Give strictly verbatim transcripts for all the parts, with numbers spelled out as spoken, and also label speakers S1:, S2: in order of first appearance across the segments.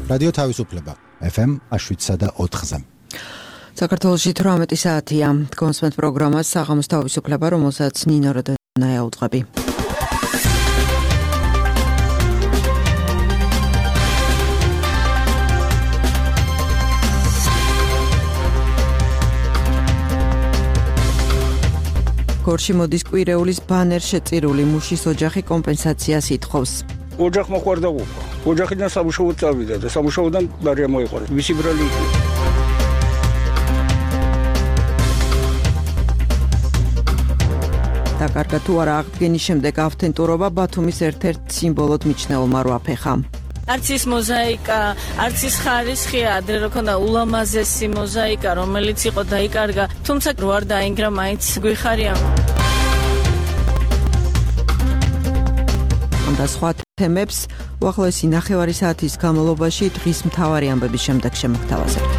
S1: რადიო თავისუფლება ეფ ემ შვიდსა და ოთხზე.
S2: საქართველოში თვრამეტი საათია. კონსმენთ პროგრამას საღამოს თავისუფლება, რომელსაც ნინო როდონაია უძღვები. გორში მოდის კვირეულის ბანერ შეწირული მუშის ოჯახი კომპენსაციას ითხოვს.
S3: ოჯახმა ხვარდაყოფა. ოჯახიდან სამუშაოდ წავიდა და სამუშაოდან ბარია მოიყარა. მისი ბრალი იყო.
S2: დაკარგა თუ არა აღდგენის შემდეგ ავთენტურობა ბათუმის ერთ-ერთ სიმბოლოდ მიჩნეულმა რვაფეხა.
S4: არც ის მოზაიკა, არც ის ხარისხი ადრე რო ქონდა ულამაზესი მოზაიკა, რომელიც იყო დაიკარგა, თუმცა რო არ დაინგრა, მაინც გვიხარია.
S2: და სხვა თემებს უახლოესი ნახევარი საათის განმავლობაში დღის მთავარი ამბების შემდეგ შემოგთავაზებთ.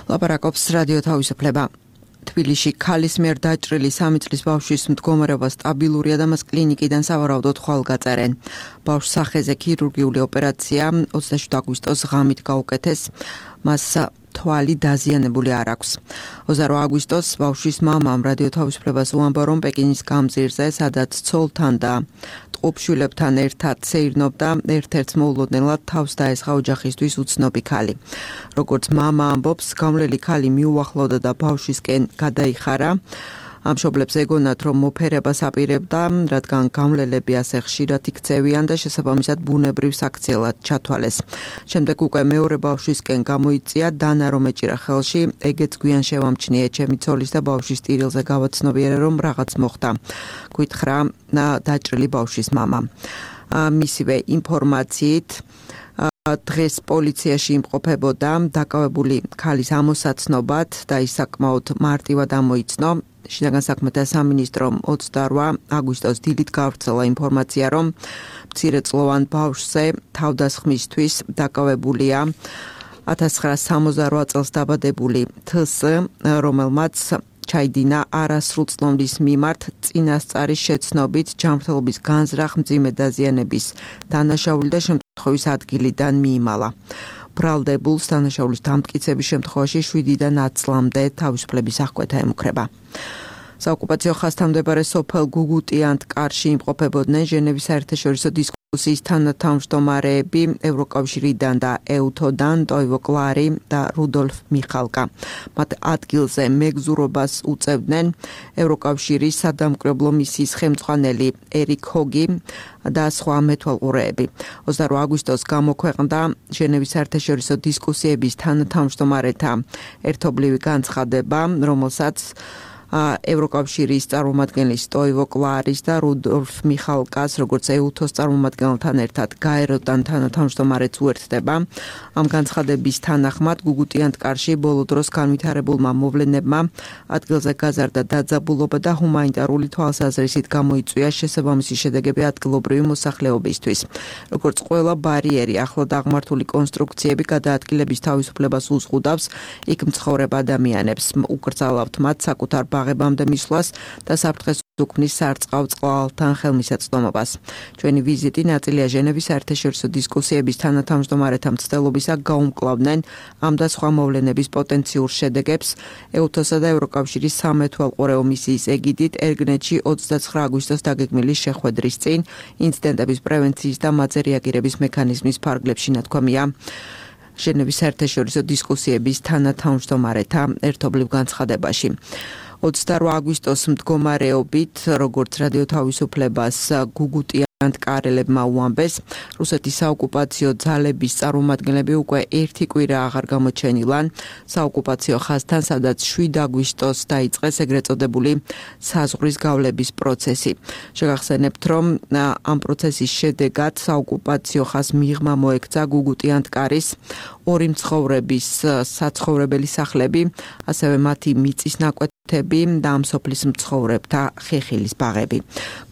S2: ლაპარაკობს რადიო თავისუფლება. თბილისში ქალის მიერ დაჭრილი სამი წლის ბავშვის მდგომარეობა სტაბილურია და მას კლინიკიდან სავარაუდოდ ხვალ გაწერენ. ბავშვს სახეზე ქირურგიული ოპერაცია ოცდაშვიდი აგვისტოს ღამით გაუკეთეს. მას თვალი დაზიანებული არ აქვს. ოცდაოთხ აგვისტოს ბავშვის მამამ რადიო თავისუფლებას უამბა, რომ პეკინის გამზირზე, სადაც ცოლთან და ტყუპშვილებთან ერთად სეირნობდა, ერთ-ერთს მოულოდნელად თავს დაესხა ოჯახისთვის უცნობი ქალი. როგორც მამა ამბობს, გამლელი ქალი მიუახლოვდა და ბავშვისკენ გადაიხარა. ამ მშობლებს ეგონათ, რომ მოფერებას აპირებდა, რადგან გამლელები ასე ხშირად იქცევიან და შესაბამისად ბუნებრივ საქციელად ჩათვალეს. შემდეგ უკვე მეორე ბავშვისკენ გამოიწია, დანა რომ ეჭირა ხელში, ეგეც გვიან შევამჩნიე ჩემი ცოლის და ბავშვის ტირილზე გავაცნობიერე, რომ რაღაც მოხდა. გითხრა დაჭრილი ბავშვის მამა. მისივე ინფორმაციით დღეს პოლიციაში იმყოფებოდა დაკავებული ქალის ამოსაცნობად და ის საკმაოდ მარტივად ამოიცნო. შინაგან საქმეთა სამინისტრომ ოცდაოთხ აგვისტოს დილით გავრცელა ინფორმაცია, რომ მცირეწლოვან ბავშვზე თავდასხმისთვის დაკავებულია ათას ცხრაასი სამოცდარვა წელს დაბადებული თს, რომელმაც ჩაიდინა არასრულწლოვნის მიმართ წინასწარის შეცნობით ჯანმრთელობის განზრახ, მძიმე დაზიანების დანაშაული და შემთხვევის ადგილიდან მიიმალა. ბრალდებულს დანაშაულის დამტკიცების შემთხვევაში შვიდიდან ათს წლამდე თავისუფლების აღკვეთა ემუქრება. საოკუპაციო ხაზთან მდებარე სოფელ გუგუტიანთ-კარში იმყოფებოდნენ ჟენევის საერთაშორისო დისკუსიის თანათავმჯდომარეები ევროკავშირიდან და ეუთოდან ტოივო კლარი და რუდოლფ მიხალკა. მათ ადგილზე მეგზურობას უწევდნენ ევროკავშირის სადამკვირვებლო მისიის ხელმძღვანელი ერიკ ჰოგი და სხვა მეთვალყურეები. ოცდაოთხ აგვისტოს გამოქვეყნდა ჟენევის საერთაშორისო დისკუსიების თანათავმჯდომარეთა ერთობლივი განცხადება, რომელსაც ევროკავშირის წარმომადგენლის ტოივო კლარის და რუდოლფ მიხალკას, როგორც ეუთოს წარმომადგენელთან ერთად გაეროდან თანათავმჯდომარეც უერთდება. ამ განცხადების თანახმად გუგუტიანთ-კარში ბოლო დროს განვითარებულმა მოვლენებმა ადგილზე გაზარდა დაძაბულობა და ჰუმანიტარული თვალსაზრისით გამოიწვია შესაბამისი შედეგები ადგილობრივი მოსახლეობისთვის. როგორც ყველა ბარიერი, ახლად აღმართული კონსტრუქციები გადაადგილების თავისუფლებას უზღუდავს იქ მცხოვრებ ადამიანებს. უკრძალავთ მათ საკუთარ ბაღებამდე მისვლას და საფრთხეს უქმნის სარწყავ წყალთან ხელმისაწვდომობას. ჩვენი ვიზიტი ნაწილია ჟენევის საერთაშორისო დისკუსიების თანათავმჯდომარეთა მცდელობისა გაუმკლავდნენ ამ და სხვა მოვლენების პოტენციურ შედეგებს ეუთოსა და ევროკავშირის სამეთვალყურეო მისიის ეგიდით ერგნეთში ოცდაცხრა აგვისტოს დაგეგმილი შეხვედრის წინ ინციდენტების პრევენციის და მათზე რეაგირების მექანიზმის ფარგლებში ნათქვამია ჟენევის საერთაშორისო დისკუსიების თანათავმჯდომარეთა ერთობლივ განცხადებაში. ოცდაოთხ აგვისტოს მდგომარეობით, როგორც რადიო თავისუფლებას გუგუტიანთ-კარელებმა უამბეს, რუსეთის საოკუპაციო ძალების წარმომადგენლები უკვე ერთი კვირა აღარ გამოჩენილან საოკუპაციო ხაზთან, სადაც შვიდ აგვისტოს დაიწყეს ეგრეთ წოდებული საზღვრის გავლების პროცესი. შეგახსენებთ, რომ ამ პროცესის შედეგად საოკუპაციო ხაზს მიღმა მოექცა გუგუტიანთ-კარის ორი მცხოვრების საცხოვრებელი სახლები, ასევე მათი მიწის ნაკვეთები და ამ სოფლის მცხოვრებთა ხეხილის ბაღები.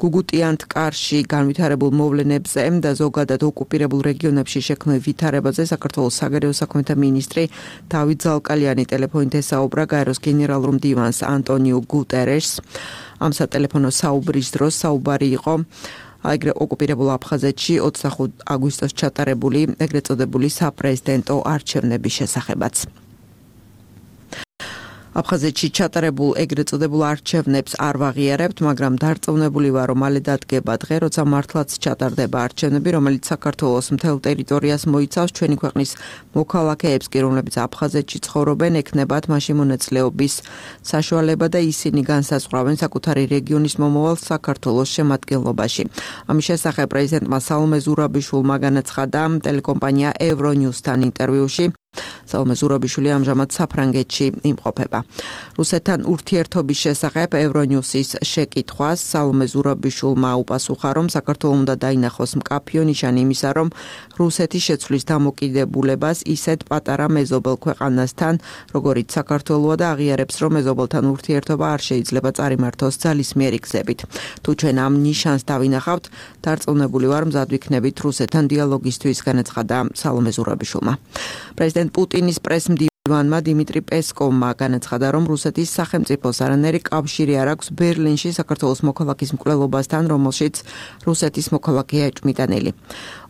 S2: გუგუტიანთ-კარში განვითარებული განვითარებულ მოვლენებზე და ზოგადად ოკუპირებულ რეგიონებში შექმნილ ვითარებაზე საქართველოს საგარეო საქმეთა მინისტრი დავით ზალკალიანი ტელეფონით ესაუბრა გაეროს გენერალურ მდივანს ანტონიუ გუტერეშს. ამ სატელეფონო საუბრის დროს საუბარი იყო აგრე ოკუპირებულ აფხაზეთში ოცდახუთი აგვისტოს ჩატარებული ეგრეთ წოდებული საპრეზიდენტო არჩევნების შესახებაც. აფხაზეთში ჩატარებულ ეგრეთ წოდებულ არჩევნებს არ ვაღიარებთ, მაგრამ დარწმუნებული ვარ, რომ მალე დადგება დღე, როცა მართლაც ჩატარდება არჩევნები, რომელიც საქართველოს მთელ ტერიტორიას მოიცავს. ჩვენი ქვეყნის მოქალაქეებს კი, რომლებიც აფხაზეთში ცხოვრობენ, ექნებათ მაშინ მონაწილეობის საშუალება და ისინი განსაზღვრავენ საკუთარი რეგიონის მომავალს საქართველოს შემადგენლობაში. ამის შესახებ პრეზიდენტმა სალომე ზურაბიშვილმა განაცხადა ტელეკომპანია ევრონიუსთან ინტერვიუში. სალომე ზურაბიშვილი ამჟამად საფრანგეთში იმყოფება. რუსეთთან ურთიერთობის შესახებ ევრონიუსის შეკითხვას სალომე ზურაბიშვილმა უპასუხა, რომ საქართველოს უნდა დაინახოს მკაფიო ნიშანი იმისა, რომ რუსეთი შეცვლის დამოკიდებულებას ისეთ პატარა მეზობელ ქვეყანასთან, როგორიც საქართველოა და აღიარებს, რომ მეზობელთან ურთიერთობა არ შეიძლება წარიმართოს ძალისმიერი გზებით. თუ ჩვენ ამ ნიშანს დავინახავთ, დარწმუნებული ვარ, მზად ვიქნებით რუსეთთან დიალოგისთვის, განაცხადა სალომე ზურაბიშვილმა. პრეზიდენტ პუტინის პრესმდივანმა დიმიტრი პესკოვმა განაცხადა, რომ რუსეთის სახელმწიფოს არანაირი კავშირი არ აქვს ბერლინში საქართველოს მოქალაქის მკვლელობასთან, რომელშიც რუსეთის მოქალაქეა ეჭვმიტანილი.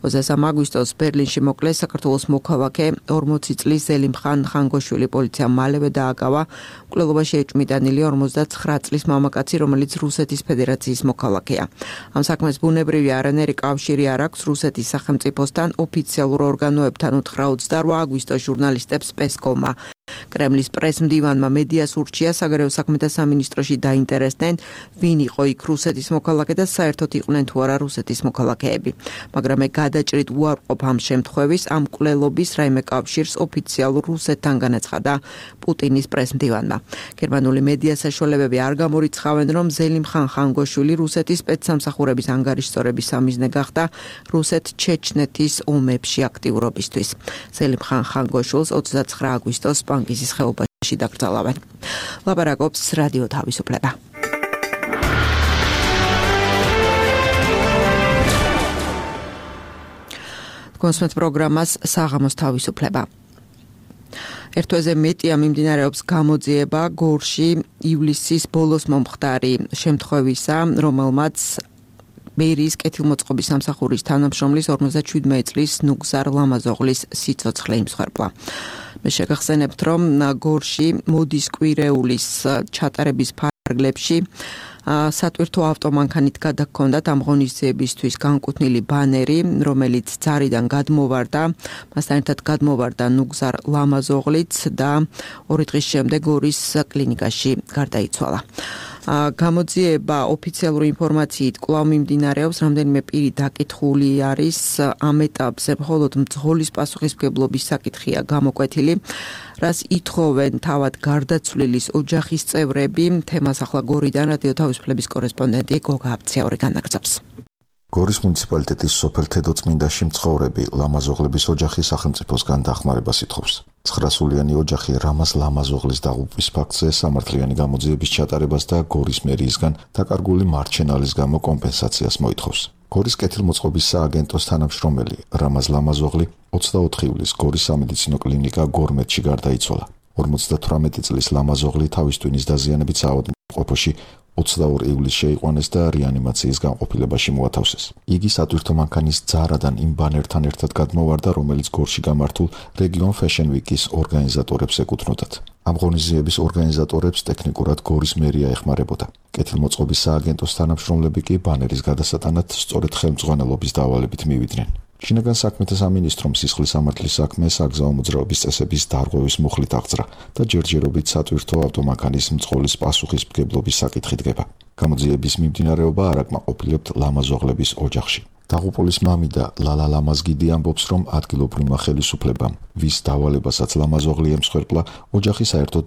S2: ოცდასამი აგვისტოს ბერლინში მოკლეს საქართველოს მოქალაქე ორმოცი წლის ზელიმხან ხანგოშვილი პოლიციამ მალევე დააკავა მკვლელობაში ეჭვმიტანილი ორმოცდაცხრა წლის მამაკაცი, რომელიც რუსეთის ფედერაციის მოქალაქეა. ამ საქმეს ბუნებრივი არანაირი კავშირი არ აქვს რუსეთის სახელმწიფოსთან, ოფიციალურ ორგანოებთან უთხრა ოცდაოთხ აგვისტოს ჟურნალისტებს პესკოვმა. კრემლის პრესმდივანმა მედიას ურჩია საგარეო საქმეთა სამინისტროში დაინტერესდნენ, ვინ იყო იქ რუსეთის მოქალაქე და საერთოდ იყვნენ თუ არა რუსეთის მოქალაქეები. მაგრამ მე გადაჭრით უარყოფ ამ შემთხვევის, ამ მკვლელობის რაიმე კავშირს ოფიციალურ რუსეთთან განაცხადა პუტინის პრესმდივანმა. გერმანული მედია საშუალებები არ გამორიცხავენ, რომ ზელიმხან ხანგოშვილი რუსეთის სპეცსამსახურების ანგარიშსწორების სამიზნე გახდა რუსეთ-ჩეჩნეთის ომებში აქტიურობისთვის. ზელიმხან ხანგოშვილს ოცდაცხრა აგვისტოს პანგიზის ხეობაში დაკრძალავენ. ლაპარაკობს რადიო თავისუფლება. კონსმეთ პროგრამას საღამოს თავისუფლება. ერთ თვეზე მეტია მიმდინარეობს გამოძიება გორში ივლისის ბოლოს მომხდარი შემთხვევისა, რომელმაც მერიის კეთილმოწყობის სამსახურის თანამშრომლის ორმოცდაშვიდმეტი წლის ნუგზარ ლამაზოღლის სიცოცხლე იმსხვერპლა. მე შეგახსენებთ, რომ გორში მოდის კვირეულის ჩატარების ფარგლებში სატვირთო ავტომანქანით გადაგქონდათ ამ ღონისძიებისთვის განკუთვნილი ბანერი, რომელიც ძარიდან გადმოვარდა, მასთან ერთად გადმოვარდა ნუგზარ ლამაზოღლიც და ორი დღის შემდეგ გორის კლინიკაში გარდაიცვალა. გამოძიება ოფიციალური ინფორმაციით კვლავ მიმდინარეობს, რამდენიმე პირი დაკითხული არის ამ ეტაპზე, მხოლოდ მძღოლის პასუხისმგებლობის საკითხია გამოკვეთილი, რას ითხოვენ თავად გარდაცვლილის ოჯახის წევრები. თემას ახლა გორიდან რადიო თავისუფლების კორესპონდენტი გოგა აბციაური განაგრძობს.
S5: გორის მუნიციპალიტეტის სოფელ თედოწმინდაში მცხოვრები ლამაზოღლების ოჯახი სახელმწიფოსგან დახმარებას ითხოვს. ცხრასულიანი ოჯახი რამაზ ლამაზოღლის დაღუპვის ფაქტზე სამართლიანი გამოძიების ჩატარებას და გორის მერიისგან დაკარგული მარჩენალის გამო კომპენსაციას მოითხოვს. გორის კეთილმოწყობის სააგენტოს თანამშრომელი რამაზ ლამაზოღლი ოცდაოთხ ივლისს გორის სამედიცინო კლინიკა გორმედში გარდაიცვალა. ორმოცდათვრამეტი წლის ლამაზოღლი თავის ტვინის დაზიანებით საავადმყოფოში ოცდაორი ივლისს შეიყვანეს და რეანიმაციის განყოფილებაში მოათავსეს. იგი სატვირთო მანქანის ძარადან იმ ბანერთან ერთად გადმოვარდა, რომელიც გორში გამართულ რეგიონ Fashion Week-ის ორგანიზატორებს ეკუთვნოდათ. ამ ღონისძიების ორგანიზატორებს ტექნიკურად გორის მერია ეხმარებოდა. კეთილმოწყობის სააგენტოს თანამშრომლები კი ბანერის გადასატანად სწორედ ხელმძღვანელობის დავალებით მივიდნენ. შინაგან საქმეთა სამინისტრომ სისხლის სამართლის საქმე საგზაო მოძრაობის წესების დარღვევის მუხლით აღძრა და ჯერჯერობით სატვირთო ავტომანქანის მძღოლის პასუხისმგებლობის საკითხი დგება. გამოძიების მიმდინარეობა არ აკმაყოფილებთ ლამაზოღლების ოჯახში. დაღუპულის მამიდა ლალა ლამაზგიდი ამბობს, რომ ადგილობრივმა ხელისუფლებამ, ვის დავალებასაც ლამაზოღლი ემსხვერპლა, ოჯახი საერთოდ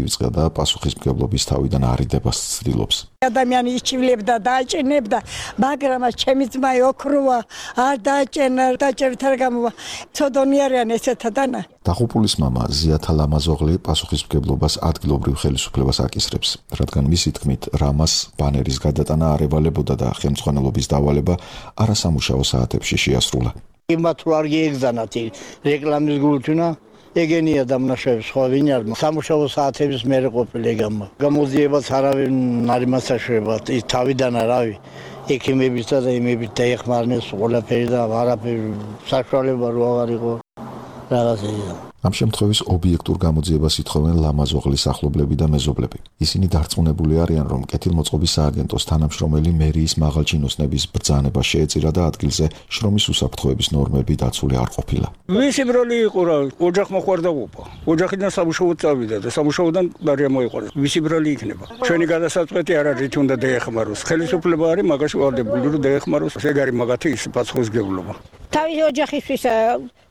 S5: დაივიწყა და პასუხისმგებლობის თავიდან არიდებას ცდილობს.
S6: ადამიანი იჩივლებდა და აჭენებდა, მაგრამ ჩემი ძმა ოქროა, არ დააჭენა, დაჭერთა გამოვა. ცოდონი არიან ესეთა დანა.
S5: დაღუპულის მამა ზიათა ლამაზოღლი პასუხისმგებლობას ადგილობრივ ხელისუფლებას აკისრებს, რადგან მისი თქმით, რამას ბანერის გადატანა არ ევალებოდა და ხელმძღვანელობის დავალება არასამუშაო საათებში შეასრულა.
S7: იმათ რო არ გიეგზანათ რეკლამის გულთუნა ეგენია დამნაშავე სხვა ვინ არ სამუშაო საათების მერე ყოფილი ეგამა გამოძიებას არავინ არ იმასაშრება ის თავიდან არავი ექიმების და იმების დაეხმარნეს ყველაფერი და არაფერი საშუალება რო აღარ იყო რაღაცა.
S5: ამ შემთხვევის ობიექტურ გამოძიებას ითხოვენ ლამაზოღლის ახლობლები და მეზობლები. ისინი დარწმუნებული არიან, რომ კეთილმოწყობის სააგენტოს თანამშრომელი მერიის მაღალჩინოსნების ბრძანება შეეწირა და ადგილზე შრომის უსაფრთხოების ნორმები დაცული არ ყოფილა.
S3: ვისი ბრალი იყო რა, ოჯახმა ხوار დაუპა. ოჯახიდან სამუშაოდ წავიდა და სამუშაოდან ბარია მოიყვანეს. ვისი ბრალი იქნება? ჩვენი გადასაწყვეტი არ არის თუ უნდა დაეხმაროს. ხელისუფლება არის მაგაში ვარდებული რომ დაეხმაროს. ეგ არის მაგათი ის პასუხისმგებლობა.
S6: თავის ოჯახისთვის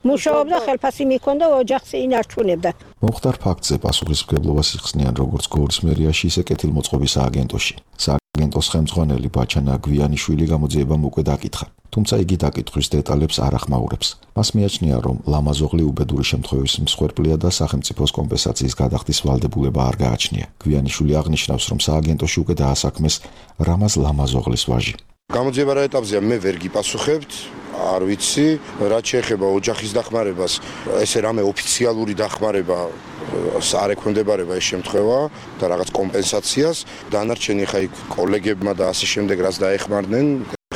S6: მუშაობდა, ხელფასი მიქონდა, ოჯახს ინარჩუნებდა.
S5: მომხდარ ფაქტზე პასუხისმგებლობას იხსნიან როგორც გორის მერიაში, ისე კეთილმოწყობის სააგენტოში. სააგენტოს ხელმძღვანელი ბაჩანა გვიანიშვილი გამოძიებამ უკვე დაკითხა, თუმცა იგი დაკითხვის დეტალებს არ ახმაურებს. მას მიაჩნია, რომ ლამაზოღლი უბედური შემთხვევის მსხვერპლია და სახელმწიფოს კომპენსაციის გადახდის ვალდებულება არ გააჩნია. გვიანიშვილი აღნიშნავს, რომ სააგენტოში უკვე დაასაქმეს რამაზ ლამაზოღლის ვაჟი.
S8: გამოძიება რა ეტაპზეა, მე ვერ გიპასუხებთ. არ ვიცი, რაც შეეხება ოჯახის დახმარებას, ესე რამე ოფიციალური დახმარება არ ექვემდებარება ეს შემთხვევა და რაღაც კომპენსაციას. დანარჩენი ხა იქ კოლეგებმა და ასე შემდეგ რაც დაეხმარნენ,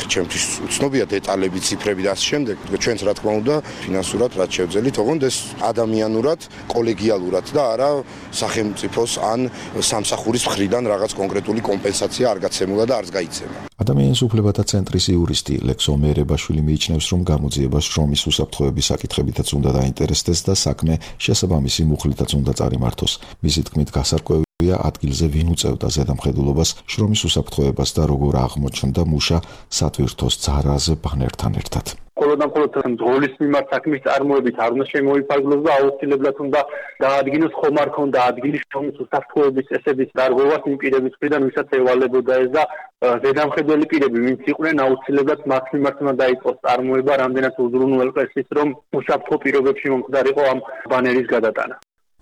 S8: ჩემთვის უცნობია დეტალები, ციფრები და ასე შემდეგ. ჩვენც რა თქმა უნდა, ფინანსურად რაც შევძელით, ოღონდ ეს ადამიანურად, კოლეგიალურად და არა სახელმწიფოს ან სამსახურის მხრიდან რაღაც კონკრეტული კომპენსაცია არ გაცემულა და არც გაიცემა.
S5: ადამიანის უფლებათა ცენტრის იურისტი ლექსო მერებაშვილი მიიჩნევს, რომ გამოძიებას შრომის უსაფრთხოების საკითხებითაც უნდა დაინტერესდეს და საქმე შესაბამისი მუხლითაც უნდა წარიმართოს. მისი თქმით, გასარკვევია ადგილზე ვინ უწევდა ზედამხედველობას შრომის უსაფრთხოებას და როგორ აღმოჩნდა მუშა სატვირთოს ძარაზე ბანერთან ერთად.
S9: Қолოდან ყოლოდ ძღოლის მიმართ საქმის წარმოებით არ უნდა შემოიფარგლოს და აუცილებლად უნდა დაადგინოს ხომ არ ქონდა ადგილის შრომის უსაფრთხოების წესების დარღვევას იმ პირების მხრიდან, ვისაც ევალებოდა ეს და ზედამხედველი პირები, ვინც იყვნენ, აუცილებლად მათ მიმართ უნდა დაიწყოს წარმოება, რამდენად უზრუნველყეს ის, რომ უსაფრთხო პირობებში მომხდარიყო ამ ბანერის გადატანა.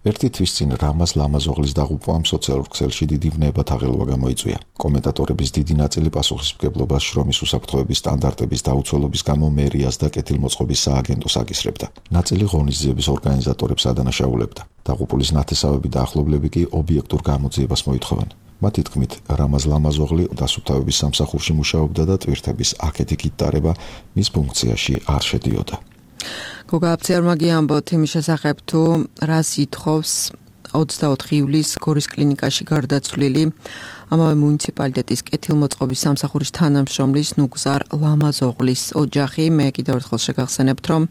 S5: ერთი თვის წინ რამაზ ლამაზოღლის დაღუპვამ სოციალურ ქსელში დიდი ვნებათაღელვა გამოიწვია. კომენტატორების დიდი ნაწილი პასუხისმგებლობას შრომის უსაფრთხოების სტანდარტების დაუცველობის გამო მერიას და კეთილმოწყობის სააგენტოს აკისრებდა. ნაწილი ღონისძიების ორგანიზატორებს ადანაშაულებდა. დაღუპულის ნათესავები და ახლობლები კი ობიექტურ გამოძიებას მოითხოვენ. მათი თქმით, რამაზ ლამაზოღლი დასუფთავების სამსახურში მუშაობდა და ტვირთების აქეთ-იქით დარება მის ფუნქციაში არ შედიოდა.
S2: გოგა აფციარმაგი ამბობთ იმის შესახებ, თუ რას ითხოვს ოცდაოთხი ივლისს გორის კლინიკაში გარდაცვლილი ამავე მუნიციპალიტეტის კეთილმოწყობის სამსახურის თანამშრომლის ნუგზარ ლამაზოღლის ოჯახი. მე კიდევ ერთხელ შეგახსენებთ, რომ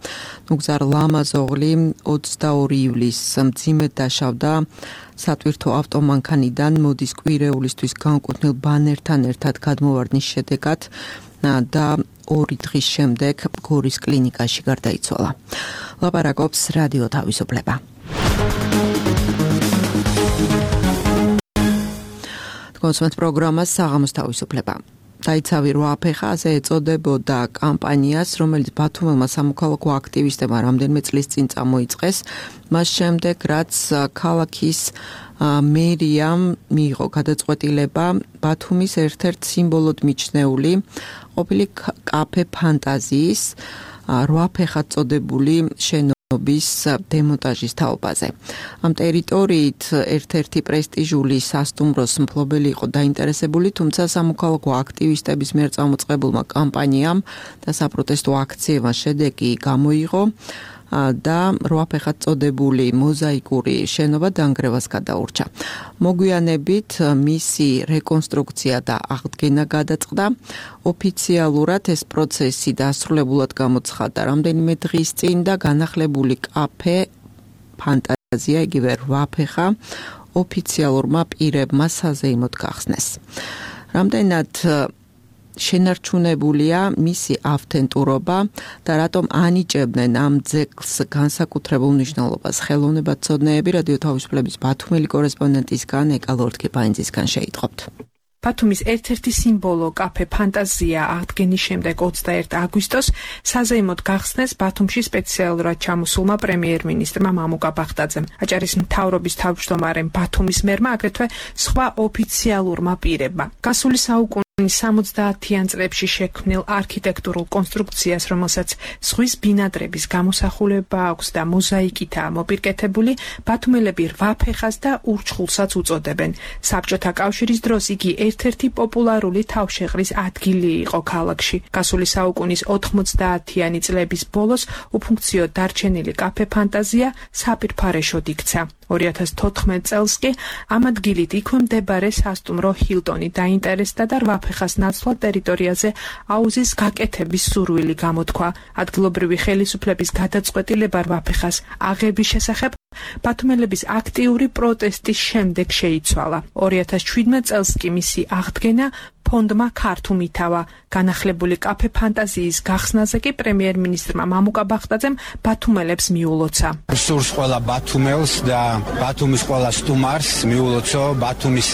S2: ნუგზარ ლამაზოღლი ოცდაორი ივლისს მძიმედ დაშავდა სატვირთო ავტომანქანიდან მოდის კვირეულისთვის განკუთვნილ ბანერთან ერთად გადმოვარდნის შედეგად და ორი დღის შემდეგ გორის კლინიკაში გარდაიცვალა. ლაპარაკობს რადიო თავისუფლება. კონსუმენტ პროგრამას საღამოს თავისუფლება. დაიცავი რვაფეხა, ასე ეწოდებოდა კამპანიას, რომელიც ბათუმელმა სამოქალაქო აქტივისტებმა რამდენიმე წლის წინ წამოიწყეს, მას შემდეგ რაც ქალაქის მერიამ მიიღო გადაწყვეტილება ბათუმის ერთ-ერთ სიმბოლოდ მიჩნეული ყოფილი კაფე ფანტაზიის რვაფეხად წოდებული შენობის დემონტაჟის თაობაზე. ამ ტერიტორიით ერთ-ერთი პრესტიჟული სასტუმროს მფლობელი იყო დაინტერესებული, თუმცა სამოქალაქო აქტივისტების მიერ წამოწყებულმა კამპანიამ და საპროტესტო აქციებმა შედეგი გამოიღო და რვაფეხად წოდებული მოზაიკური შენობა დანგრევას გადაურჩა. მოგვიანებით მისი რეკონსტრუქცია და აღდგენა გადაწყდა. ოფიციალურად ეს პროცესი დასრულებულად გამოცხადდა რამდენიმე დღის წინ და განახლებული კაფე ფანტაზია, იგივე რვაფეხა, ოფიციალურმა პირებმა საზეიმოდ გახსნეს. რამდენად შენარჩუნებულია მისი ავთენტურობა და რატომ ანიჭებდნენ ამ ძეგლს განსაკუთრებულ მნიშვნელობას. ხელოვნებაცოდნეები რადიო თავისუფლების ბათუმელი კორესპონდენტისგან ეკა ლორთქეპაინძისგან შეიტყობთ.
S10: ბათუმის ერთ-ერთი სიმბოლო კაფე ფანტაზია აღდგენის შემდეგ ოცდაერთი აგვისტოს საზეიმოდ გახსნეს ბათუმში სპეციალურად ჩამოსულმა პრემიერ-მინისტრმა მამუკა ბახტაძემ. აჭარის მთავრობის თავმჯდომარემ ბათუმის მერმა აგრეთვე სხვა ოფიციალურმა პირებმა. გასული საუკუნის სამოცდაათიან წლებში შექმნილ არქიტექტურულ კონსტრუქციას, რომელსაც ზღვის ბინადრების გამოსახულება აქვს და მოზაიკითაა მოპირკეთებული, ბათუმელები რვაფეხას და ურჩხულსაც უწოდებენ. საბჭოთა კავშირის დროს იგი ერთ-ერთი პოპულარული თავშეყრის ადგილი იყო ქალაქში. გასული საუკუნის ოთხმოცდაათიანი წლების ბოლოს უფუნქციოდ დარჩენილი კაფე ფანტაზია საფირფარეშოდ იქცა. ორი ათას თოთხმეტ წელს კი ამ ადგილით იქვე მდებარე სასტუმრო ჰილტონი დაინტერესდა და რვაფეხას ნაცვლად ტერიტორიაზე აუზის გაკეთების სურვილი გამოთქვა. ადგილობრივი ხელისუფლების გადაწყვეტილება რვაფეხას აღების შესახებ ბათუმელების აქტიური პროტესტის შემდეგ შეიცვალა. ორი ათას შვიდმეტ წელს კი მისი აღდგენა ფონდმა ქართუმ ითავა. განახლებული კაფე ფანტაზიის გახსნაზე კი პრემიერ-მინისტრმა მამუკა ბახტაძემ ბათუმელებს მიულოცა.
S11: სურს ყველა ბათუმელს და ბათუმის ყველა სტუმარს მიულოცო ბათუმის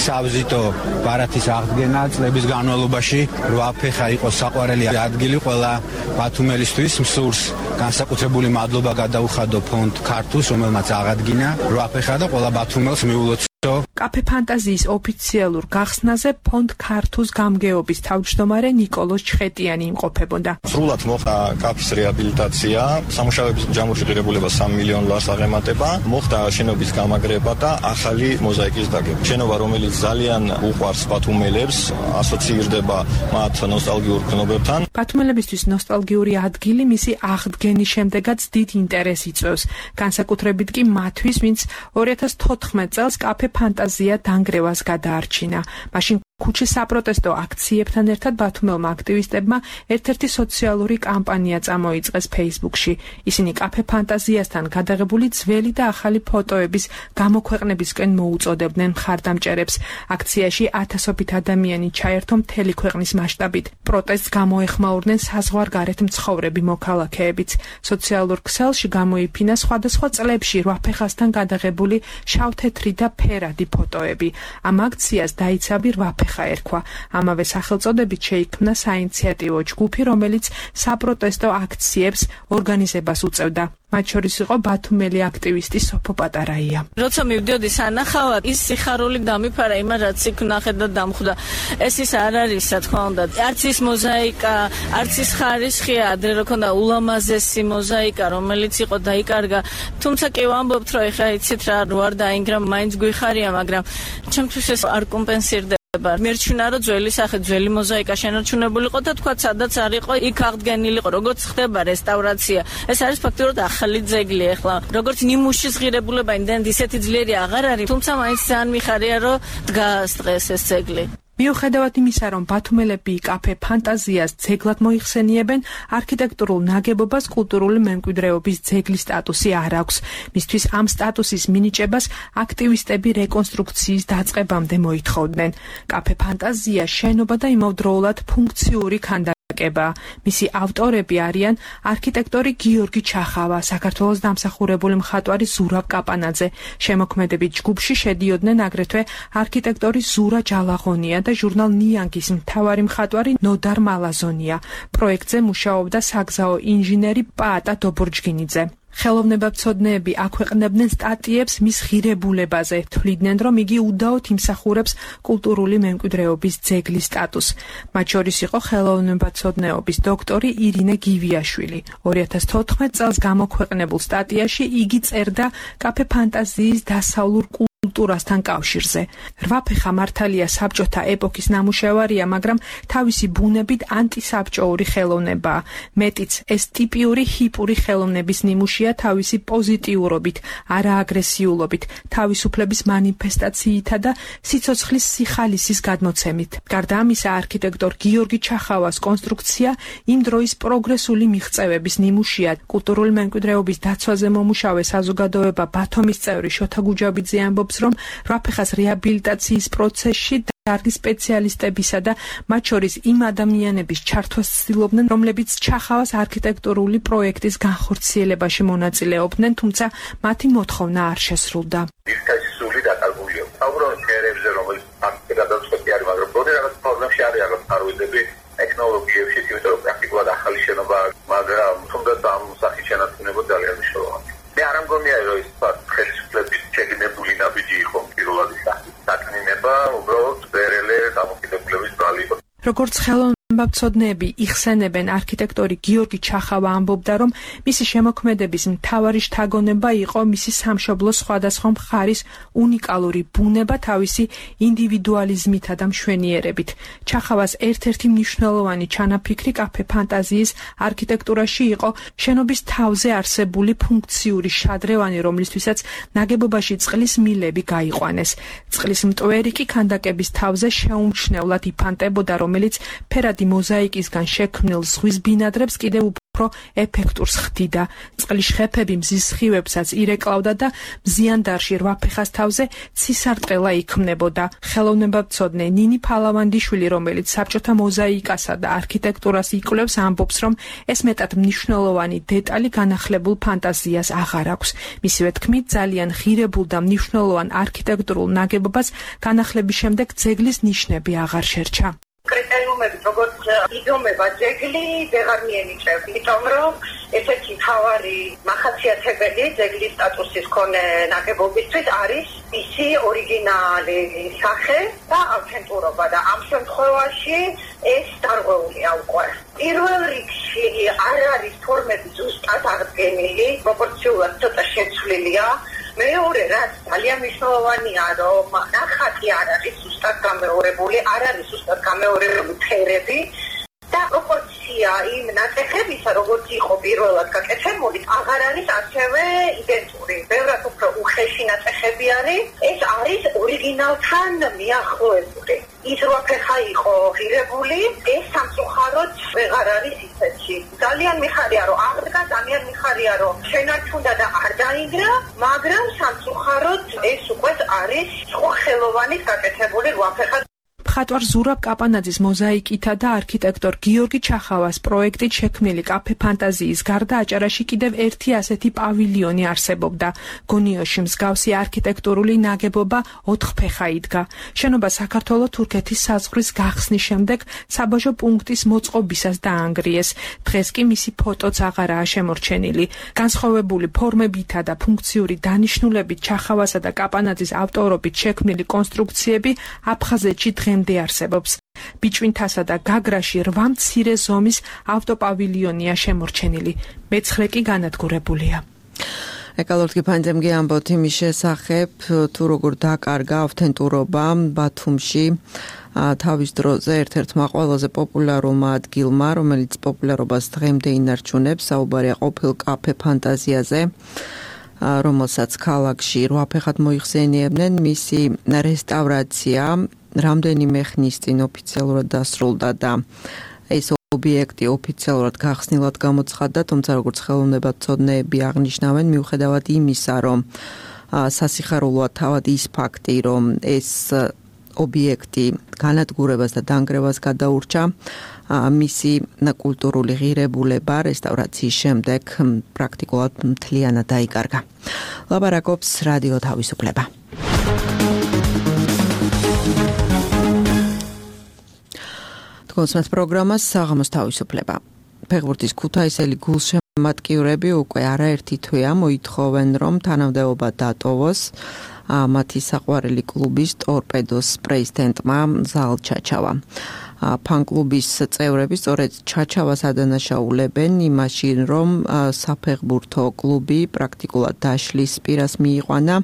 S11: სავიზიტო ბარათის აღდგენა წლების განმავლობაში. რვაფეხა იყო საყვარელი ადგილი ყველა ბათუმელისთვის. მსურს განსაკუთრებული მადლობა გადაუხადო ფონდ ქართულს, რომელმაც აღადგინა რვაფეხა და ყველა ბათუმელს მიულოცო.
S10: კაფე ფანტაზიის ოფიციალურ გახსნაზე ფონდ ქართუს გამგეობის თავმჯდომარე ნიკოლოზ ჩხეტიანი იმყოფებოდა.
S12: სრულად მოხდა კაფის რეაბილიტაცია, სამუშაოების ჯამური ღირებულება სამი მილიონი ლარს აღემატება, მოხდა შენობის გამაგრება და ახალი მოზაიკის დაგება. შენობა, რომელიც ძალიან უყვარს ბათუმელებს, ასოცირდება მათ ნოსტალგიურ ქნობებთან.
S10: ბათუმელებისთვის ნოსტალგიური ადგილი მისი აღდგენის შემდეგაც დიდ ინტერესს იწვევს. განსაკუთრებით კი მათთვის, ვინც ორი ათას თოთხმეტ წელს კაფე ფანტაზია დანგრევას გადაარჩინა. მაშინ ქუჩის საპროტესტო აქციებთან ერთად ბათუმელმა აქტივისტებმა ერთ-ერთი სოციალური კამპანია წამოიწყეს Facebook-ში. ისინი კაფე ფანტაზიასთან გადაღებული ძველი და ახალი ფოტოების გამოქვეყნებისკენ მოუწოდებდნენ მხარდამჭერებს. აქციაში ათასობით ადამიანი ჩაერთო მთელი ქვეყნის მასშტაბით. პროტესტს გამოეხმაურდნენ საზღვარგარეთ მცხოვრები მოქალაქეებიც. სოციალურ ქსელში გამოიფინა სხვადასხვა წლებში რვაფეხასთან გადაღებული შავ-თეთრი და ფერადი ფოტოები. ამ აქციას დაიცავი რვაფეხა ერქვა. ამავე სახელწოდებით შეიქმნა საინიციატივო ჯგუფი, რომელიც საპროტესტო აქციებს ორგანიზებას უწევდა. მათ შორის იყო ბათუმელი აქტივისტი სოფო პატარაია.
S4: როცა მივდიოდი სანახავად, ის სიხარული დამიფარა იმას, რაც იქ ნახე და დამხვდა. ეს ის არ არის, რა თქმა უნდა. არც ის მოზაიკა, არც ის ხარისხია, ადრე რო ქონდა ულამაზესი მოზაიკა, რომელიც იყო დაიკარგა. თუმცა კი ვამბობთ, რომ ეხლა იცით რა, რო არ დაინგრა, მაინც გვიხარია, მაგრამ ჩემთვის ეს არ კომპენსირდება. მერჩვენა რომ ძველი სახე, ძველი მოზაიკა შენარჩუნებულიყო და თქვა სადაც არ იყო, იქ აღდგენილიყო. როგორც ხდება რესტავრაცია, ეს არის ფაქტობრივად ახალი ძეგლი. ახლა როგორც ნიმუშის ღირებულება იმდენად ისეთი ძლიერი აღარ არის, თუმცა მაინც ძალიან მიხარია რომ დგას დღეს ეს ძეგლი.
S10: მიუხედავად იმისა, რომ ბათუმელები კაფე ფანტაზიას ძეგლად მოიხსენიებენ, არქიტექტურულ ნაგებობას კულტურული მემკვიდრეობის ძეგლის სტატუსი არ აქვს. მისთვის ამ სტატუსის მინიჭებას აქტივისტები რეკონსტრუქციის დაწყებამდე მოითხოვდნენ. კაფე ფანტაზია შენობა და იმავდროულად ფუნქციური ქანდაკება. მისი ავტორები არიან არქიტექტორი გიორგი ჩახავა, საქართველოს დამსახურებული მხატვარი ზურაბ კაპანაძე. შემოქმედებით ჯგუფში შედიოდნენ აგრეთვე არქიტექტორი ზურა ჯალაღონია და ჟურნალ ნიანგის მთავარი მხატვარი ნოდარ მალაზონია. პროექტზე მუშაობდა საგზაო ინჟინერი პაატა დობორჯგინიძე. ხელოვნებაცოდნეები აქვეყნებდნენ სტატიებს მის ღირებულებაზე, თვლიდნენ, რომ იგი უდაოდ იმსახურებს კულტურული მემკვიდრეობის ძეგლის სტატუსს. მათ შორის იყო ხელოვნებაცოდნეობის დოქტორი ირინე გივიაშვილი. ორი ათას თოთხმეტ წელს გამოქვეყნებულ სტატიაში იგი წერდა კაფე ფანტაზიის დასავლურ კულტურასთან კავშირზე. რვაფეხა მართალია საბჭოთა ეპოქის ნამუშევარია, მაგრამ თავისი ბუნებით ანტისაბჭოური ხელოვნებაა. მეტიც, ეს ტიპიური ჰიპური ხელოვნების ნიმუშია თავისი პოზიტიურობით, არააგრესიულობით, თავისუფლების მანიფესტაციითა და სიცოცხლის სიხალისის გადმოცემით. გარდა ამისა, არქიტექტორ გიორგი ჩახავას კონსტრუქცია იმ დროის პროგრესული მიღწევების ნიმუშია. კულტურული მემკვიდრეობის დაცვაზე მომუშავე საზოგადოება ბათუმის წევრი შოთა გუჯაბიძე ამბობს, რომ რვაფეხას რეაბილიტაციის პროცესში დარგის სპეციალისტებისა და მათ შორის იმ ადამიანების ჩართვას ცდილობდნენ, რომლებიც ჩახავას არქიტექტურული პროექტის განხორციელებაში მონაწილეობდნენ, თუმცა მათი მოთხოვნა არ შესრულდა.
S13: სული დაკარგულია. საუბრობთ შეერებზე, რომელიც ფაქტი გადაწყვეტი არის, მაგრამ პროდე რაღაც პრობლემში არის რაღაც ფარვიდები ტექნოლოგიებში, იმიტომ რომ პრაქტიკულად ახალი შენობა, მაგრამ თუნდაც ამ სახის შენარჩუნება ძალიან მნიშვნელოვანია. მე არ მგონია რომ ის ხელისუფლების შეგნებული ნაბიჯი იყო პირველად საკნინება, უბრალოდ ბერელე დამოკიდებლების ბრალი.
S10: როგორც ხელოვნებაცოდნეები იხსენებენ, არქიტექტორი გიორგი ჩახავა ამბობდა, რომ მისი შემოქმედების მთავარი შთაგონება იყო მისი სამშობლოს სხვადასხვა მხარის უნიკალური ბუნება თავისი ინდივიდუალიზმითა და მშვენიერებით. ჩახავას ერთ-ერთი მნიშვნელოვანი ჩანაფიქრი კაფე ფანტაზიის არქიტექტურაში იყო შენობის თავზე არსებული ფუნქციური შადრევანი, რომლისთვისაც ნაგებობაში წყლის მილები გაიყვანეს. წყლის მტვერი კი ქანდაკების თავზე შეუმჩნევლად იფანტებოდა, რომელიც ფერადი მოზაიკისგან შექმნილ ზღვის ბინადრებს კიდევ უფრო ეფექტურს ხდიდა. წყლის ხეფები მზის სხივებსაც ირეკლავდა და მზიანდარში რვაფეხას თავზე ცისარტყელა იქმნებოდა. ხელოვნებაცოდნე ნინი ფალავანდიშვილი, რომელიც საბჭოთა მოზაიკასა და არქიტექტურას იკვლევს, ამბობს, რომ ეს მეტად მნიშვნელოვანი დეტალი განახლებულ ფანტაზიას აღარ აქვს. მისივე თქმით, ძალიან ღირებულ და მნიშვნელოვან არქიტექტურულ ნაგებობას განახლების შემდეგ ძეგლის ნიშნები აღარ შერჩა.
S14: კრიტერიუმები როგორც იდომება ძეგლი ვეღარ მიენიჭებს, იმიტომ რომ ესეთი მთავარი მახასიათებელი ძეგლის სტატუსის მქონე ნაგებობისთვის არის ისი ორიგინალი სახე და ავთენტურობა და ამ შემთხვევაში ეს დარღვეულია უკვე. პირველ რიგში არ არის ფორმები ზუსტად აღდგენილი, პროპორციულად ცოტა შეცვლილია. მეორე რაც ძალიან მნიშვნელოვანია, რომ ნახატი არ არის ზუსტად გამეორებული, არ არის ზუსტად გამეორებული ფერები და პროპორცია იმ ნატეხებისა, როგორც იყო პირველად გაკეთებული, აღარ არის ასევე იდენტური. ბევრად უფრო უხეში ნატეხები არის, ეს არის ორიგინალთან მიახლოებული. ის რვაფეხა იყო ღირებული, ეს სამწუხაროდ ვეღარ არის ისეთი. ძალიან მიხარია, რომ აღდგა, ძალიან მიხარია, რომ შენარჩუნდა და არ დაინგრა, მაგრამ სამწუხაროდ ეს უკვე არის სხვა ხელოვანის გაკეთებული რვაფეხა.
S10: მხატვარ ზურაბ კაპანაძის მოზაიკითა და არქიტექტორ გიორგი ჩახავას პროექტით შექმნილი კაფე ფანტაზიის გარდა აჭარაში კიდევ ერთი ასეთი პავილიონი არსებობდა. გონიოში მსგავსი არქიტექტურული ნაგებობა ოთხფეხა იდგა. შენობა საქართველო-თურქეთის საზღვრის გახსნის შემდეგ საბაჟო პუნქტის მოწყობისას დაანგრიეს. დღეს კი მისი ფოტოც აღარაა შემორჩენილი. განსხვავებული ფორმებითა და ფუნქციური დანიშნულებით ჩახავასა და კაპანაძის ავტორობით შექმნილი კონსტრუქციები აფხაზეთში დღემდე არსებობს. ბიჭვინთასა და გაგრაში რვა მცირე ზომის ავტოპავილიონია შემორჩენილი. მეცხრე კი განადგურებულია.
S2: ეკალორტკი ფანძემგი ამბობთ იმის შესახებ, თუ როგორ დაკარგა ავთენტურობა ბათუმში თავის დროზე ერთ-ერთმა ყველაზე პოპულარულმა ადგილმა, რომელიც პოპულარობას დღემდე ინარჩუნებს, საუბარია ყოფილ კაფე ფანტაზიაზე, რომელსაც ქალაქში რვაფეხად მოიხსენიებდნენ. მისი რესტავრაცია რამდენიმე ხნის წინ ოფიციალურად დასრულდა და ეს ობიექტი ოფიციალურად გახსნილად გამოცხადდა, თუმცა როგორც ხელოვნებაცოდნეები აღნიშნავენ, მიუხედავად იმისა, რომ სასიხარულოა თავად ის ფაქტი, რომ ეს ობიექტი განადგურებას და დანგრევას გადაურჩა, მისი კულტურული ღირებულება რესტავრაციის შემდეგ პრაქტიკულად მთლიანად დაიკარგა. ლაპარაკობს რადიო თავისუფლება. კონსმეთ პროგრამას საღამოს თავისუფლება. ფეხბურთის ქუთაისელი გულშემატკივრები უკვე არაერთი თვეა მოითხოვენ, რომ თანამდებობა დატოვოს მათი საყვარელი კლუბის ტორპედოს პრეზიდენტმა ზალ ჩაჩავა. ფან-კლუბის წევრები სწორედ ჩაჩავას ადანაშაულებენ იმაში, რომ საფეხბურთო კლუბი პრაქტიკულად დაშლის პირას მიიყვანა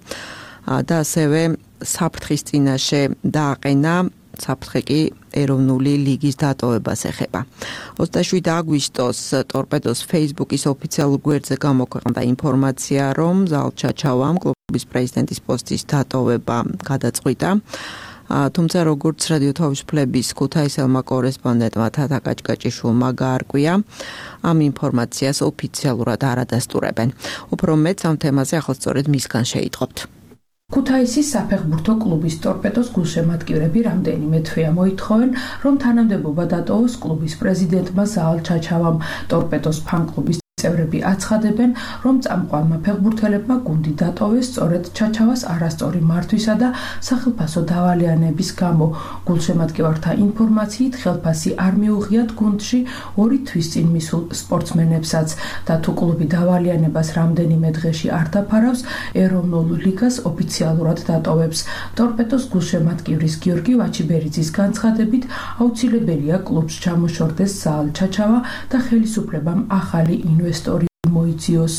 S2: და ასევე საფრთხის წინაშე დააყენა. საფრთხე კი ეროვნული ლიგის დატოვებას ეხება. ოცდაშვიდი აგვისტოს ტორპედოს Facebook-ის ოფიციალურ გვერდზე გამოქვეყნდა ინფორმაცია, რომ ზალ ჩაჩავამ კლუბის პრეზიდენტის პოსტის დატოვება გადაწყვიტა. თუმცა როგორც რადიო თავისუფლების ქუთაისელმა კორესპონდენტმა თათა კაჭკაჭიშვილმა გაარკვია, ამ ინფორმაციას ოფიციალურად არ ადასტურებენ. უფრო მეტს ამ თემაზე ახლა სწორედ მისგან შეიტყობთ.
S10: ქუთაისის საფეხბურთო კლუბის ტორპედოს გულშემატკივრები რამდენიმე თვეა მოითხოვენ, რომ თანამდებობა დატოვოს კლუბის პრეზიდენტმა ზაალ ჩაჩავამ. ტორპედოს ფან-კლუბის წევრები აცხადებენ, რომ წამყვანმა ფეხბურთელებმა გუნდი დატოვეს სწორედ ჩაჩავას არასწორი მართვისა და სახელფასო დავალიანების გამო. გულშემატკივართა ინფორმაციით, ხელფასი არ მიუღიათ გუნდში ორი თვის წინ მისულ სპორტსმენებსაც და თუ კლუბი დავალიანებას რამდენიმე დღეში არ დაფარავს, ეროვნულ ლიგას ოფიციალურად დატოვებს. ტორპედოს გულშემატკივრის გიორგი ვაჩიბერიძის განცხადებით, აუცილებელია კლუბს ჩამოშორდეს ზაალ ჩაჩავა და ხელისუფლებამ ახალი ინვესტორი მოიძიოს.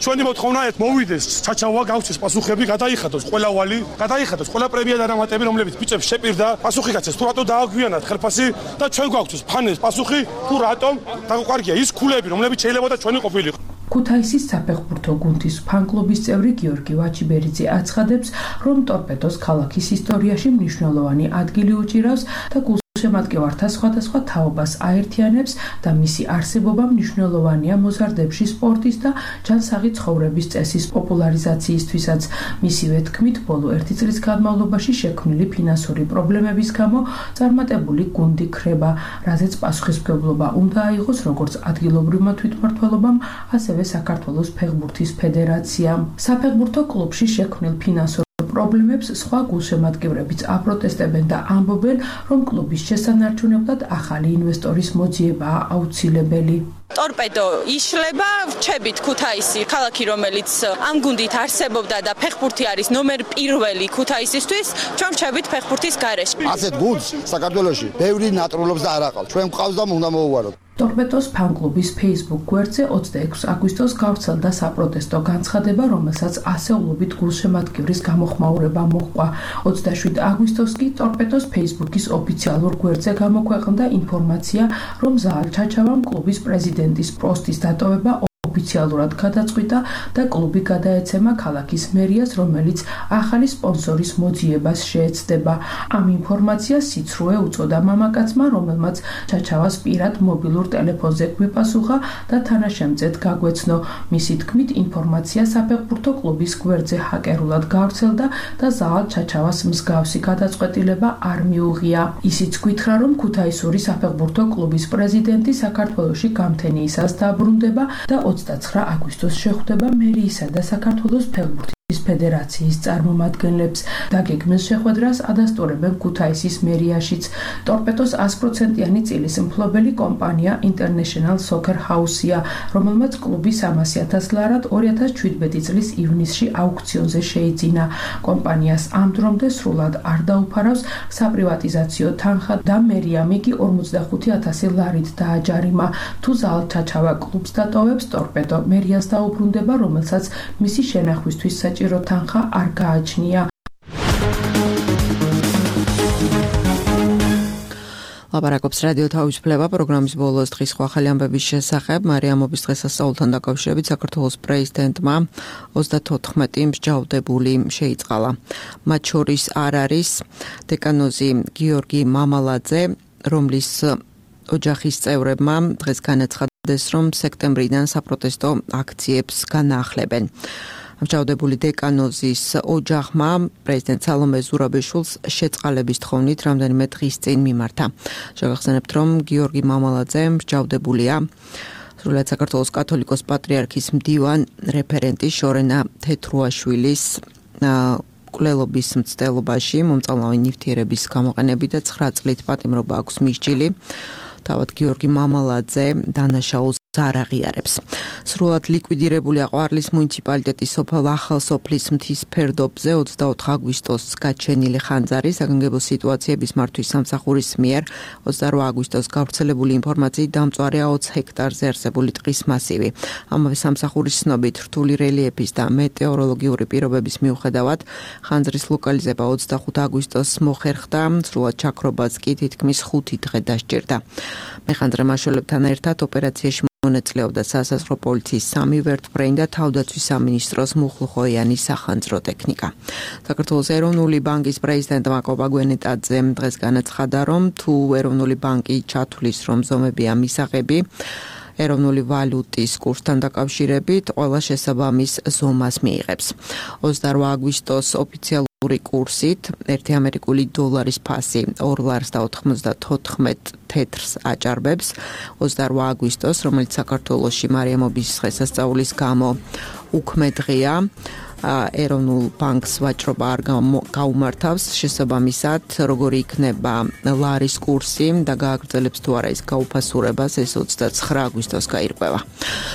S15: ჩვენი მოთხოვნა ერთ მოვიდეს ჩაჩავა გავცეს პასუხები გადაიხადოს ყველა ვალი გადაიხადოს ყველა პრემია და რამატები რომლებიც ბიჭებს შეპირდა პასუხი გაცეს თუ რატო დააგვიანათ ხელფასი და ჩვენ გვაქვს ფანეს პასუხი თუ რატომ დაგვყარგია ის ქულები რომლებიც შეიძლება და ჩვენი ყოფილიყო.
S10: ქუთაისის საფეხბურთო გუნდის ფან-კლუბის წევრი გიორგი ვაჩიბერიძე აცხადებს, რომ ტორპედოს ქალაქის ისტორიაში მნიშვნელოვანი ადგილი უჭირავს და გულშემატკივართა სხვადასხვა თაობას აერთიანებს და მისი არსებობა მნიშვნელოვანია მოზარდებში სპორტის და ჯანსაღი ცხოვრების წესის პოპულარიზაციისთვისაც. მისივე თქმით, ბოლო ერთი წლის განმავლობაში შექმნილი ფინანსური პრობლემების გამო წარმატებული გუნდი ქრება, რაზეც პასუხისმგებლობა უნდა აიღოს როგორც ადგილობრივმა თვითმმართველობამ, ასევე საქართველოს ფეხბურთის ფედერაციამ. საფეხბურთო კლუბში შექმნილ ფინანსურ პრობლემებს სხვა გულშემატკივრებიც აპროტესტებენ და ამბობენ, რომ კლუბის შესანარჩუნებლად ახალი ინვესტორის მოძიებაა აუცილებელი.
S16: ტორპედო იშლება, რჩებით ქუთაისი, ქალაქი რომელიც ამ გუნდით არსებობდა და ფეხბურთი არის ნომერ პირველი ქუთაისისთვის, ჩვენ რჩებით ფეხბურთის გარეშე.
S17: ასეთ გუნდს საქართველოში ბევრი ნატრულობს და არ აყავს. ჩვენ გვყავს და უნდა მოვუაროთ.
S10: ტორპედოს ფან-კლუბის Facebook გვერდზე ოცდაექვსი აგვისტოს გავრცელდა საპროტესტო განცხადება, რომელსაც ასეულობით გულშემატკივრის გამოხმაურება მოჰყვა. ოცდაშვიდი აგვისტოს კი ტორპედოს Facebook-ის ოფიციალურ გვერდზე გამოქვეყნდა ინფორმაცია, რომ ზაალ ჩაჩავამ კლუბის პრეზიდენტის პოსტის დატოვება ოფიციალურად გადაწყვიტა და კლუბი გადაეცემა ქალაქის მერიას, რომელიც ახალი სპონსორის მოძიებას შეეცდება. ამ ინფორმაციას სიცრუე უწოდა მამაკაცმა, რომელმაც ჩაჩავას პირად მობილურ ტელეფონზე გვიპასუხა და თანაშემწედ გაგვეცნო. მისი თქმით, ინფორმაცია საფეხბურთო კლუბის გვერდზე ჰაკერულად გავრცელდა და ზაალ ჩაჩავას მსგავსი გადაწყვეტილება არ მიუღია. ისიც გითხრა, რომ ქუთაისური საფეხბურთო კლუბის პრეზიდენტი საქართველოში გამთენიისას დაბრუნდება და ოცდაცხრა აგვისტოს შეხვდება მერიისა და საქართველოს ფეხბურთის ფედერაციის წარმომადგენლებს. დაგეგმილ შეხვედრას ადასტურებენ ქუთაისის მერიაშიც. ტორპედოს ას პროცენტიანი წილის მფლობელი კომპანია International Soccer House-ია, რომელმაც კლუბი სამასი ათას ლარად ორი ათას შვიდმეტი წლის ივნისში აუქციონზე შეიძინა. კომპანიას ამ დრომდე სრულად არ დაუფარავს საპრივატიზაციო თანხა და მერიამ იგი ორმოცდახუთი ათასი ლარით დააჯარიმა. თუ ზაალ ჩაჩავა კლუბს დატოვებს, ტორპედო მერიას დაუბრუნდება, რომელსაც მისი შენახვისთვის საჭირო თანხა არ გააჩნია.
S2: ლაპარაკობს რადიო თავისუფლება პროგრამის ბოლოს დღის ახალი ამბების შესახებ. მარიამობის დღესასწაულთან დაკავშირებით საქართველოს პრეზიდენტმა ოცდათოთხმეტი მსჯავრდებული შეიწყალა. მათ შორის არ არის დეკანოზი გიორგი მამალაძე, რომლის ოჯახის წევრებმა დღეს განაცხადეს, რომ სექტემბრიდან საპროტესტო აქციებს განაახლებენ. მსჯავრდებული დეკანოზის ოჯახმა პრეზიდენტ სალომე ზურაბიშვილს შეწყალების თხოვნით რამდენიმე დღის წინ მიმართა. შევახსენებთ, რომ გიორგი მამალაძე მსჯავრდებულია სრულად საქართველოს კათოლიკოს პატრიარქის მდივან რეფერენტი შორენა თეთრუაშვილის მკვლელობის მცდელობაში მომწალნავი ნივთიერების გამოყენებით და ცხრა წლით პატიმრობა აქვს მისჯილი. თავად გიორგი მამალაძე დანაშაულს არ აღიარებს. სრულად ლიკვიდირებულია ყვარლის მუნიციპალიტეტის სოფელ ახალსოფლის მთის ფერდობზე ოცდაოთხ აგვისტოს გაჩენილი ხანძარი საგანგებო სიტუაციების მართვის სამსახურის მიერ ოცდარვა აგვისტოს გავრცელებული ინფორმაციით დამწვარეა ოცი ჰექტარზე არსებული ტყის მასივი. ამავე სამსახურის ცნობით რთული რელიეფის და მეტეოროლოგიური პირობების მიუხედავად ხანძრის ლოკალიზება ოცდახუთ აგვისტოს მოხერხდა, სრულად ჩაქრობაც კი თითქმის ხუთი დღე დასჭირდა. მეხანძრე მაშველებთან ერთად ოპერაციაში მონაწილეობდა სასაზღვრო პოლიციის სამი ვერტმფრენი და თავდაცვის სამინისტროს მუხლუხოიანი სახანძრო ტექნიკა. საქართველოს ეროვნული ბანკის პრეზიდენტმა კობა გვენეტაძემ დღეს განაცხადა, რომ თუ ეროვნული ბანკი ჩათვლის, რომ ზომებია მისაღები, ეროვნული ვალუტის კურსთან დაკავშირებით ყველა შესაბამის ზომას მიიღებს. ოცდაორ აგვისტოს ოფიციალური კურსით ერთი ამერიკული დოლარის ფასი ორ ლარს და ოთხმოცდათოთხმეტ თეთრს აჭარბებს. ოცდაორ აგვისტოს, რომელიც საქართველოში მარიამობის დღესასწაულის გამო უქმე დღეა, ეროვნულ ბანკს ვაჭრობა არ გაუმართავს, შესაბამისად, როგორი იქნება ლარის კურსი და გააგრძელებს თუ არა ის გაუფასურებას, ეს ოცდაცხრა აგვისტოს გაირკვევა.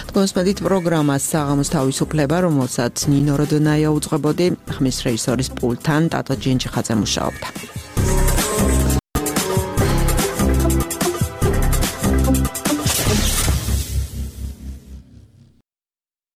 S2: თქვენს მედით პროგრამას საღამოს თავისუფლება, რომელსაც ნინო როდონაია უძღვებოდი, ხმის რეჟისორის პულტთან ტატო ჯინჯიხაძე მუშაობდა.